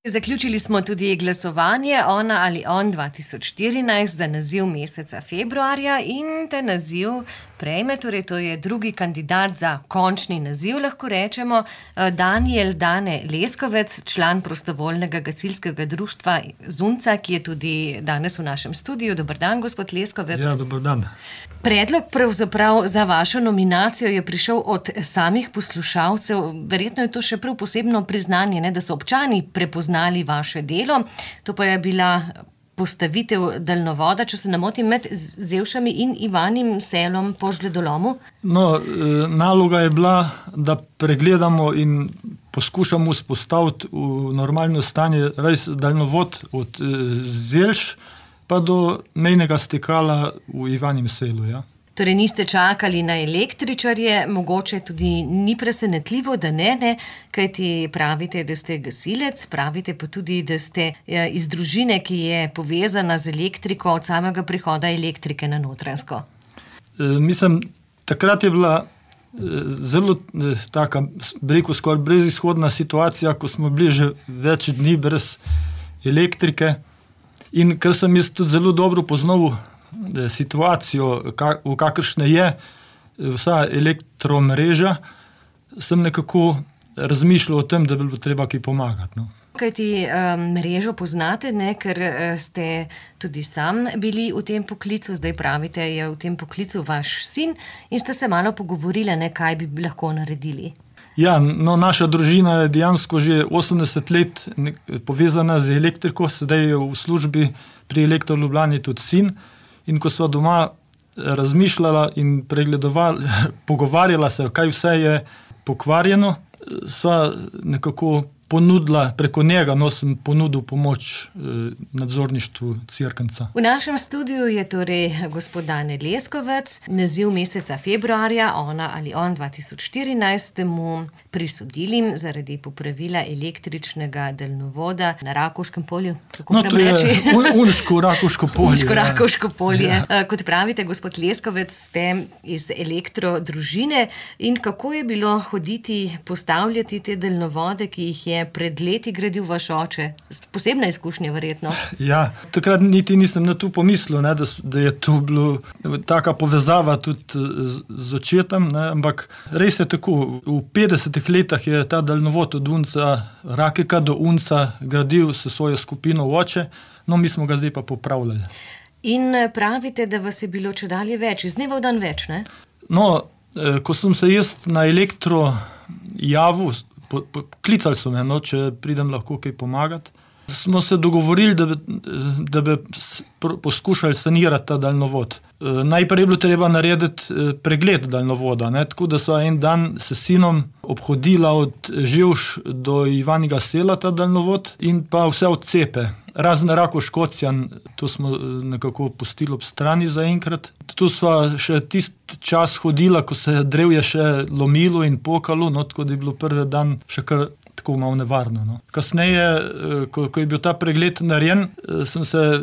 Zaključili smo tudi glasovanje Ona ali on 2014 za naziv meseca februarja in ta naziv prejme, torej to je drugi kandidat za končni naziv, lahko rečemo, Dane Leskovec, član prostovoljnega gasilskega društva Zunca, ki je tudi danes v našem studiu. Dober dan, gospod Leskovec. Ja, dober dan. Predlog pravzaprav za vašo nominacijo je prišel od samih poslušalcev. Verjetno je to še prav posebno priznanje, ne, da so občani prepoznali vaše delo. To pa je bila postavitev daljnovoda, če se ne motim, med Zevšami in Ivanim Selom po žledolomu. No, naloga je bila, da pregledamo in poskušamo vzpostaviti v normalno stanje res daljnovod od Zelš pa do mejnega stekala v Ivanim Selu, ja. Torej niste čakali na električarje, mogoče tudi ni presenetljivo, da ne, kajti pravite, da ste gasilec, pravite pa tudi, da ste iz družine, ki je povezana z elektriko od samega prihoda elektrike na Notranjsko. Mislim, takrat je bila zelo taka, rekel, skoraj brezizhodna situacija, ko smo bili že več dni brez elektrike in ker sem jaz tudi zelo dobro poznal situacijo, v kakršne je vsa elektromreža, sem nekako razmišljal o tem, da bi bilo treba kaj pomagati. No. Kajti mrežo poznate, ne, ker ste tudi sam bili v tem poklicu, zdaj pravite, je v tem poklicu vaš sin in ste se malo pogovorili, ne, kaj bi lahko naredili. Ja, no, naša družina je dejansko že 80 let povezana z elektriko, sedaj je v službi pri Elektro Ljubljani tudi sin. In ko sva doma razmišljala in pogovarjala se, kaj vse je pokvarjeno, sva nekako ponudila, preko njega, sem ponudil pomoč nadzorništvu Cerknca. V našem studiu je torej gospod Dane Leskovec, naziv meseca februarja, Ona ali on 2014, mu prisodili zaradi popravila električnega daljnovoda na Rakovškem polju. Kako no, to je Unško-Rakovško polje. Unško-Rakovško polje. Ja. Kot pravite, gospod Leskovec, ste iz elektrodružine in kako je bilo hoditi, postavljati te daljnovode, ki jih je pred leti gradil vaš oče? Posebna izkušnja, verjetno. Ja, takrat niti nisem na to pomislil, ne, da je to bilo taka povezava tudi z očetom, ne, ampak res je tako. V 50 letih je ta daljnovod od Unca, Rakeka do Unca gradil s svojo skupino oče, no mi smo ga zdaj pa popravljali. In pravite, da vas je bilo čedalje več, iz dneva v dan več, ne? No, ko sem se jaz na elektro javil, klicali so me, no, če pridem lahko kaj pomagati. Smo se dogovorili, da bi poskušali sanirati ta daljnovod. Najprej je bilo treba narediti pregled daljnovoda, ne, tako da sva en dan s sinom obhodila od Ževš do Ivanjega Sela ta daljnovod in pa vse odcepe. Razen Rakovškocjan, to smo nekako pustili ob strani zaenkrat. Tu sva še tisti čas hodila, ko se je drevje še lomilo in pokalo, no, tako da je bilo prvi dan še kar tako malo nevarno. No. Kasneje, ko je bil ta pregled narejen,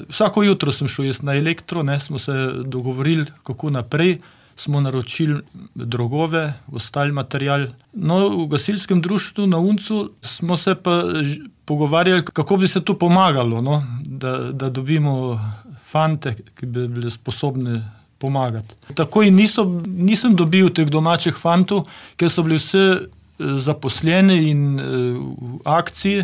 vsako jutro sem šel jaz na elektro, ne, smo se dogovorili, kako naprej, smo naročili drogove, ostali material. No, v gasilskem društvu na Uncu smo se pa pogovarjali, kako bi se to pomagalo, no, da dobimo fante, ki bi bili sposobni pomagati. Takoj nisem dobil teh domačih fantov, ker so bili vse zaposleni in v akciji,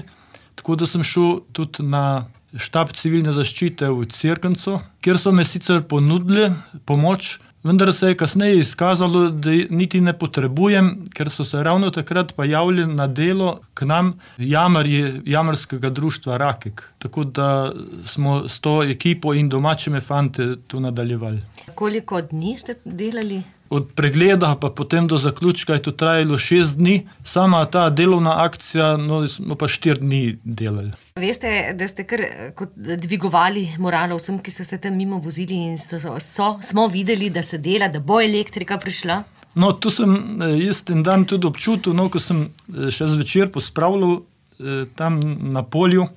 tako da sem šel tudi na štab civilne zaščite v Cerkncu, kjer so me sicer ponudili pomoč, vendar se je kasneje izkazalo, da niti ne potrebujem, ker so se ravno takrat pa javili na delo k nam jamarji jamarskega društva Rakek. Tako da smo s to ekipo in domačimi fante tu nadaljevali. Koliko dni ste delali? Od pregleda pa potem do zaključka je to trajalo 6 dni. Sama ta delovna akcija, no, smo pa 4 dni delali. Veste, da ste kar dvigovali moralo vsem, ki so se tam mimo vozili in smo videli, da se dela, da bo elektrika prišla? No, to sem jaz ten dan tudi občutil, no, ko sem še zvečer pospravljal tam na polju,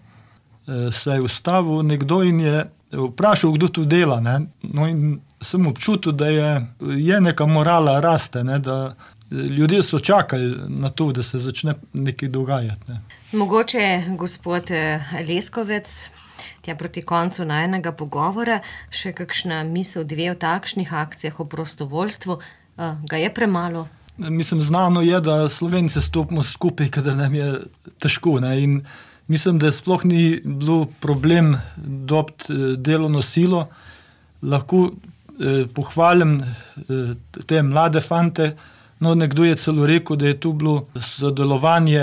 se je ustavil nekdo in je vprašal, kdo tu dela, ne? No, in sem občutil, da je neka morala raste, ne? Da ljudje so čakali na to, da se začne nekaj dogajati. Ne. Mogoče, gospod Leskovec, tja proti koncu najinega pogovora, še kakšna misel, dve o takšnih akcijah, o prostovoljstvu, ga je premalo? Mislim, znano je, da Slovenci stopimo skupaj, kadar nam je težko. Ne? In mislim, da sploh ni bilo problem dobiti delovno silo. Lahko pohvalim te mlade fante. No, nekdo je celo rekel, da je tu bilo sodelovanje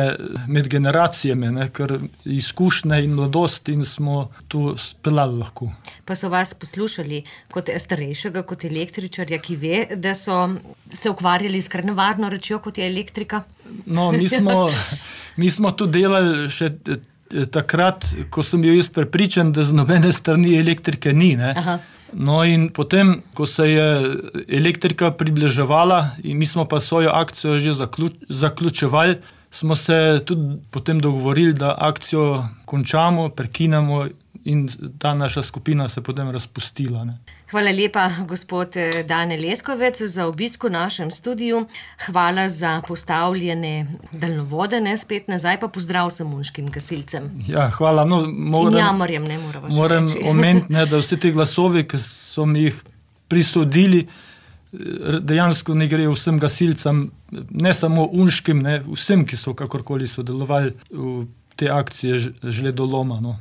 med generacijami, ne? Ker izkušnje in mladost in smo tu speljali lahko. Pa so vas poslušali kot starejšega, kot električarja, ki ve, da so se ukvarjali s kar nevarno rečjo, kot je elektrika? No, mi smo tu delali še takrat, ko sem bil jaz prepričan, da z nobene strani elektrike ni. Ne? Aha. No in potem, ko se je elektrika približevala in mi smo pa svojo akcijo že zaključevali, smo se tudi potem dogovorili, da akcijo končamo, prekinemo in ta naša skupina se potem razpustila. Ne. Hvala lepa, gospod Dane Leskovec, za obisk v našem studiu. Hvala za postavljene daljnovode, spet nazaj pa pozdrav samunškim gasilcem. Ja, hvala. No, in jamarjem, ne moramo še moram reči. omeniti, da vse te glasovi, ki so mi jih prisodili, dejansko ne grejo vsem gasilcem, ne samo unškim, vsem, ki so kakorkoli sodelovali v te akcije žledoloma. No.